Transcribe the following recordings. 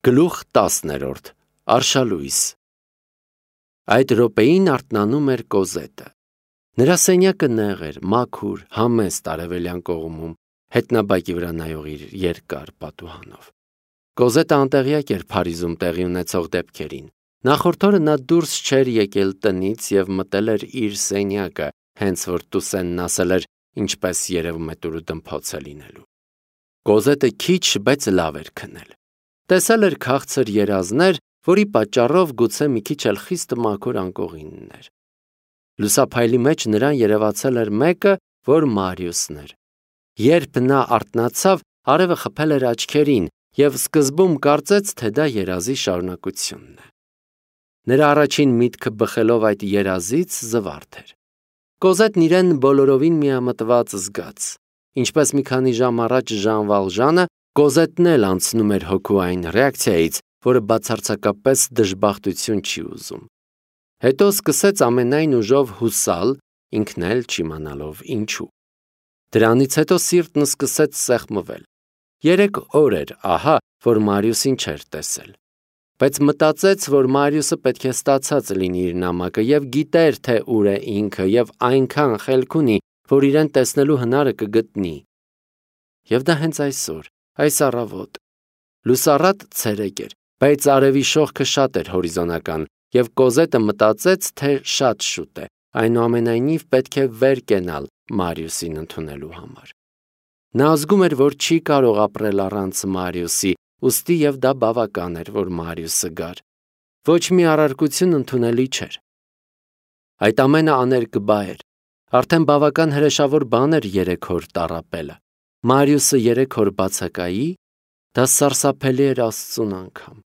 Գլուխ 10 Արշալույս Այդ րոպեին արթնանում էր Կոզետը։ Նրա սենյակը նեղ էր, մաքուր, համեստ արևելյան կողմում, հետնաբակի վրա նայող իր երկար պատուհանով։ Կոզետը անտեղյակ էր Փարիզում տեղի ունեցող դեպքերին։ Նախորդ օրը նա դուրս չէր եկել տնից և մտել էր իր սենյակը, հենց որ Տուսենն ասել էր, ինչպես երևում է տուրը դմփոց է լինելու։ Կոզետը քիչ, բայց լավ էր քնել։ Տեսել էր քաղցր երազներ, որի պատճառով գուցե մի քիչ էլ խիստ մաքուր անկողիններ։ Լուսափայլի մեջ նրան երևացել էր մեկը, որ Մարիուսն էր։ Երբ նա արթնացավ, արևը խփել էր աչքերին և սկզբում կարծեց, թե դա երազի շարունակությունն է։ Նրա առաջին միտքը բխելով այդ երազից զվարթ էր։ Կոզետն իրեն բոլորովին միամտված զգաց։ Ինչպես մի քանի ժամ առաջ Ժան Վալժանը, Կոզետն էլ անցնում էր հոգու այն ռեակցիայից, որը բացարձակապես դժբախտություն չի ուզում։ Հետո սկսեց ամենայն ուժով հուսալ, ինքն էլ չիմանալով ինչու։ Դրանից հետո սիրտն սկսեց սեղմվել։ 3 օր էր, ահա, որ Մարիուսին չէր տեսել։ Բայց մտածեց, որ Մարիուսը պետք է ստացած լինի իր նամակը և գիտեր, թե ուր է ինքը և այնքան խելք ունի, որ իրեն տեսնելու հնարը կգտնի։ Եվ դա հենց այսօր, այս առավոտ։ Լուսառատ ցերեկ էր, բայց արևի շողքը շատ էր հորիզոնական, և Կոզետը մտածեց, թե շատ շուտ է, այնուամենայնիվ պետք է վեր կենալ Մարիուսին ընդունելու համար։ Նա զգում էր, որ չի կարող ապրել առանց Մարիուսի, ուստի և դա բավական էր, որ Մարիուսը գար։ Ոչ մի առարկություն ընդունելի չէր։ Այդ ամենը աներկբա էր։ Արդեն բավական հրեշավոր բան էր 3 օր տառապելը։ Մարիուսը 3 օր բացակայի, դա սարսափելի էր Աստծուն անգամ։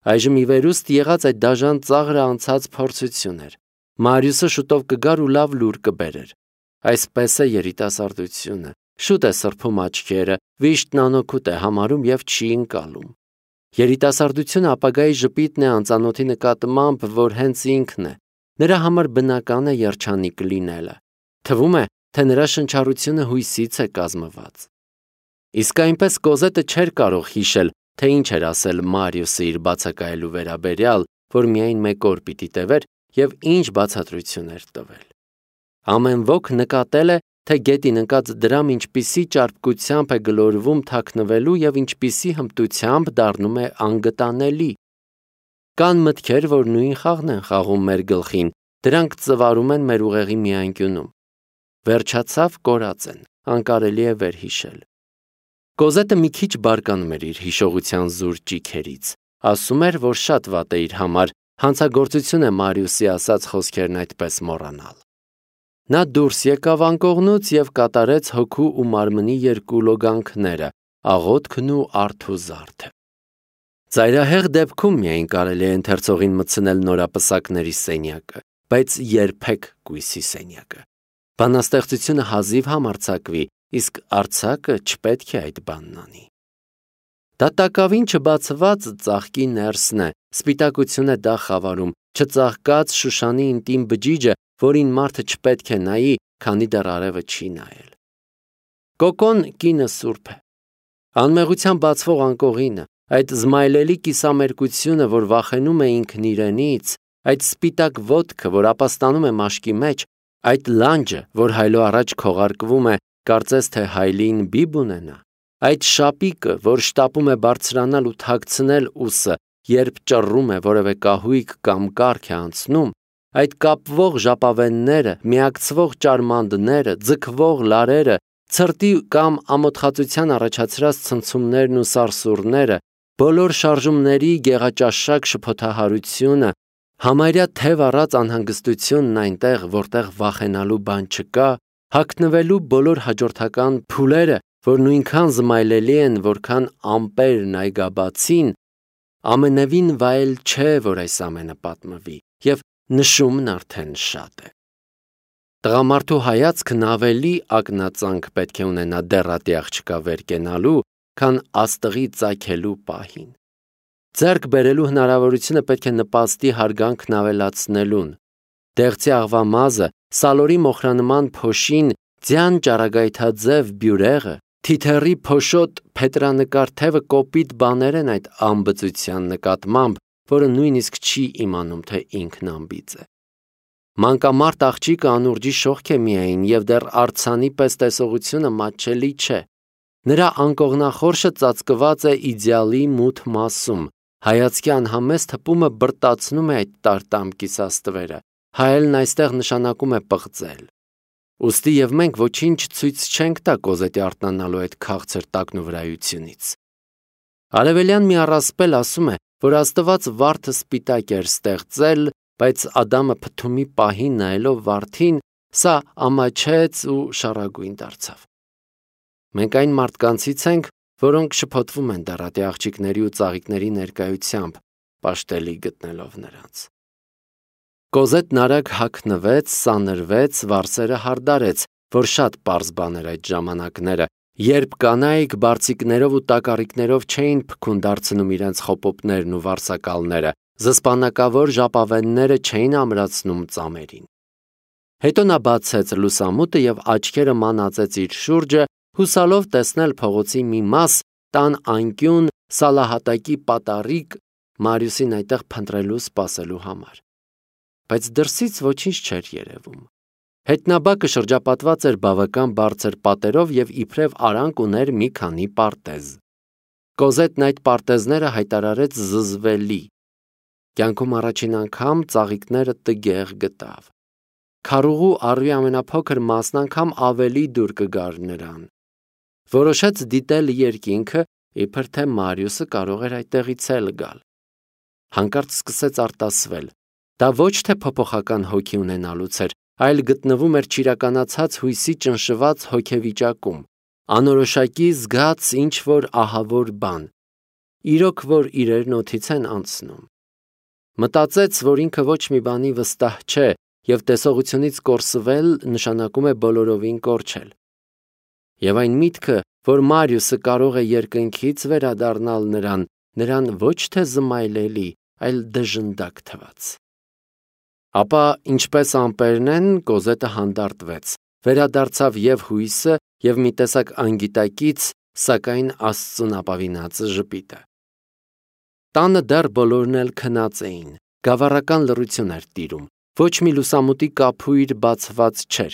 Այժմ ի վերուստ եղած այդ դաժան ծաղրը անցած փորձություն էր։ Մարիուսը շուտով կգար ու լավ լուր կբերեր։ Այսպես է երիտասարդությունը, շուտ է սրբում աչքերը, վիշտն անօգուտ է համարում և չի ընկալում։ Երիտասարդությունը ապագայի ժպիտն է անծանոթի նկատմամբ, որ հենց ինքն է։ Նրա համար բնական է երջանիկ լինելը։ Թվում է, թե նրա շնչառությունը հույսից է կազմված։ Իսկ այնպես Կոզետը չէր կարող հիշել, թե ինչ էր ասել Մարիուսը իր բացակայելու վերաբերյալ, որ միայն 1 օր պիտի տևեր և ինչ բացատրություն էր տվել։ Ամեն ոք նկատել է, թե գետին ընկած դրամ ինչպիսի ճարպկությամբ է գլորվում թաքնվելու և ինչպիսի հմտությամբ դառնում է անգտանելի։ Կան մտքեր, որ նույն խաղն են խաղում մեր գլխին, դրանք ծվարում են մեր ուղեղի մի անկյունում։ Վերջացավ, կորած են, անկարելի է վերհիշել։ Կոզետը մի քիչ բարկանում էր իր հիշողության զուր ճիգերից, ասում էր, որ շատ վատ է իր համար, հանցագործություն է Մարիուսի ասած խոսքերն այդպես մոռանալ։ Նա դուրս եկավ անկողնուց և կատարեց հոգու ու մարմնի 2 լոգանքները՝ աղոթքն ու արթուզարդը։ Ծայրահեղ դեպքում միայն կարելի է ընթերցողին մտցնել նորապսակների սենյակը, բայց երբեք կույսի սենյակը։ Բանաստեղծությունը հազիվ համարձակվի, իսկ արձակը չպետք է այդ բանն անի։ Դա տակավին չբացված ծաղկի ներսն է, սպիտակություն է դա խավարում, չծաղկած Շուշանի ինտիմ բջիջը, որին մարդը չպետք է նայի, քանի դեռ արևը չի նայել։ Կոկոն կինը սուրբ է։ Անմեղությամբ բացվող անկողինը, այդ զմայլելի կիսամերկությունը, որ վախենում է ինքն իրենից, այդ սպիտակ ոտքը, որ ապաստանում է մաշկի մեջ, այդ լանջը, որ հայլո առաջ քողարկվում է, կարծես թե հայլին բիբ ունենա, այդ շապիկը, որ շտապում է բարձրանալ ու թաքցնել ուսը, երբ ճռռում է որևէ կահույք կամ կառք է անցնում, այդ կապվող ժապավենները, միակցվող ճարմանդները, ձգվող լարերը, ցրտի կամ ամոթխածության առաջացրած ցնցումներն ու սարսուռները, բոլոր շարժումների գեղաճաշակ շփոթահարությունը, համարյա թև առած անհանգստությունն այնտեղ, որտեղ վախենալու բան չկա, հագնվելու բոլոր հաջորդական փուլերը, որ նույնքան զմայլելի են, որքան ամպերն այգաբացին, ամենևին վայել չէ, որ այս ամենը պատմվի, և նշումն արդեն շատ է։ Տղամարդու հայացքն ավելի ակնածանք պետք է ունենա դեռատի աղջկա վեր կենալու, քան աստղի ծագելու պահին։ Ձեռք բերելու հնարավորությունը պետք է նպաստի հարգանքն ավելացնելուն։ Դեղցի աղվամազը, սալորի մոխրանման փոշին, ձյան ճառագայթաձև բյուրեղը, Թիթեռի փոշոտ փետրանկար թևը կոպիտ բաներ են այդ անբծության նկատմամբ, որը նույնիսկ չի իմանում, թե ինքն անբիծ է։ Մանկամարտ աղջիկը անուրջի շողք է միայն և դեռ արձանի պես տեսողությունը մատչելի չէ։ Նրա անկողնախորշը ծածկված է իդեալի մութ մասում, հայացքի անհամեստ հպումը բրտացնում է այդ տարտամ կիսաստվերը, հայելն այստեղ նշանակում է պղծել։ Ուստի և մենք ոչինչ ցույց չենք տա Կոզետի արթնանալու այդ քաղցր տակնուվրայությունից։ Արևելյան մի առասպել ասում է, որ Աստված վարդը սպիտակ էր ստեղծել, բայց Ադամը փթումի պահին նայելով վարդին, սա ամաչեց ու շառագույն դարձավ։ Մենք այն մարդկանցից ենք, որոնք շփոթվում են դառատի աղջիկների ու ծաղիկների ներկայությամբ, պաշտելի գտնելով նրանց։ Կոզետն արագ հագնվեց, սանրվեց, վարսերը հարդարեց, որ շատ պարզ բան էր այդ ժամանակները, երբ կանայք բարձիկներով ու տակառիկներով չէին փքուն դարձնում իրենց խոպոպներն ու վարսակալները, զսպանակավոր ժապավենները չէին ամրացնում ծամերին։ Հետո նա բացեց լուսամուտը և աչքերը մանածեց իր շուրջը, հուսալով տեսնել փողոցի մի մաս, տան անկյուն, սալահատակի պատառիկ, Մարիուսին այդտեղ փնտրելու սպասելու համար։ Բայց դրսից ոչինչ չէր երևում։ Հետնաբակը շրջապատված էր բավական բարձր պատերով և իբրև արանք ուներ մի քանի պարտեզ։ Կոզետն այդ պարտեզները հայտարարեց զզվելի։ Կյանքում առաջին անգամ ծաղիկները տգեղ գտավ։ Քառուղու առվի ամենափոքր մասն անգամ ավելի դուր կգար նրան։ Որոշեց դիտել երկինքը, իբր թե Մարիուսը կարող էր այդտեղից էլ գալ։ Հանկարծ սկսեց արտասվել։ Դա ոչ թե փոփոխական հոգի ունենալուց էր, այլ գտնվում էր չիրականացած հույսի ճնշված հոգեվիճակում, անորոշակի զգաց ինչ-որ ահավոր բան, իրոք որ իրերն օդից են անցնում։ Մտածեց, որ ինքը ոչ մի բանի վստահ չէ և տեսողությունից կորսվել նշանակում է բոլորովին կորչել։ Եվ այն միտքը, որ Մարիուսը կարող է երկնքից վերադառնալ նրան ոչ թե զմայլելի, այլ դժնդակ թվաց։ Ապա, ինչպես ամպերն են, Կոզետը հանդարտվեց, վերադարձավ և հույսը, և մի տեսակ անգիտակից, սակայն Աստծուն ապավինած ժպիտը։ Տանը դեռ բոլորն էլ քնած էին, գավառական լռություն էր տիրում, ոչ մի լուսամուտի կափույր բացված չէր,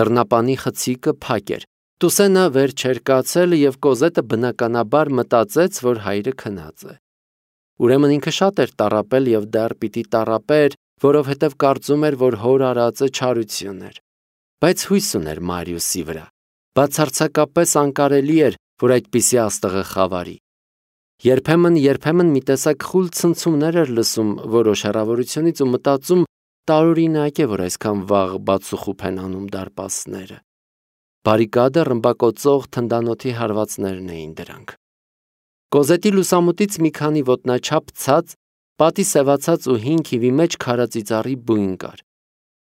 դռնապանի խցիկը փակ էր, Տուսենը վեր չէր կացել և Կոզետը բնականաբար մտածեց, որ հայրը քնած է։ Ուրեմն ինքը շատ էր տառապել և դեռ պիտի տառապեր, որովհետև կարծում էր, որ հոր արածը չարություն էր։ Բայց հույս ուներ Մարիուսի վրա։ Բացարձակապես անկարելի էր, որ այդպիսի աստղը խավարի։ Երբեմն մի տեսակ խուլ ցնցումներ էր լսում որոշ հեռավորությունից ու մտածում, տարօրինակ է, որ այսքան վաղ բացուխուփ են անում դարպասները։ Բարիկադը ռմբակոծող թնդանոթի հարվածներն էին դրանք։ Կոզետի լուսամուտից մի քանի ոտնաչափ ցած, պատի սևացած ու հին քիվի մեջ քարածիծառի բույն կար։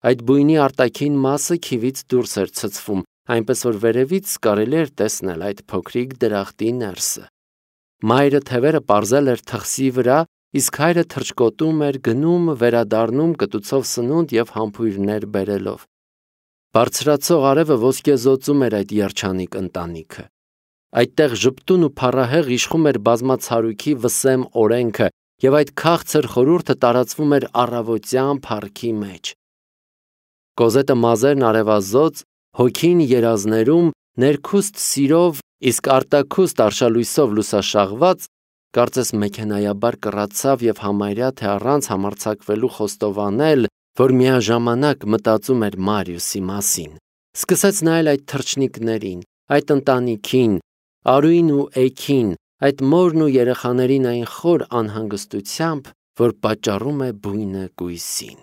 Այդ բույնի արտաքին մասը քիվից դուրս էր ցցվում, այնպես որ վերևից կարելի էր տեսնել այդ փոքրիկ դրախտի ներսը։ Մայրը թևերը պարզել էր թխսի վրա, իսկ հայրը թռչկոտում էր, գնում, վերադառնում կտուցով սնունդ և համբույրներ բերելով։ Բարձրացող արևը ոսկեզօծում էր այդ երջանիկ ընտանիքը։ Այդտեղ ժպտուն ու փառահեղ իշխում էր բազմացարույքի վսեմ օրենքը, և այդ քաղցր խորհուրդը տարածվում էր առավոտյան փառքի մեջ։ Կոզետը մազերն արևազոծ, հոգին երազներում, ներքուստ սիրով, իսկ արտաքուստ արշալույսով լուսաշաղված, կարծես մեքենայաբար կռացավ և համարյա թե առանց համարձակվելու խոստովանել, որ միաժամանակ մտածում էր Մարիուսի մասին։ Սկսեց նայել այդ թռչնիկներին, այդ ընտանիքին, Արուին ու Էգին, այդ մորն ու երեխաներին այն խոր անհանգստությամբ, որ պատճառում է բույնը կույսին։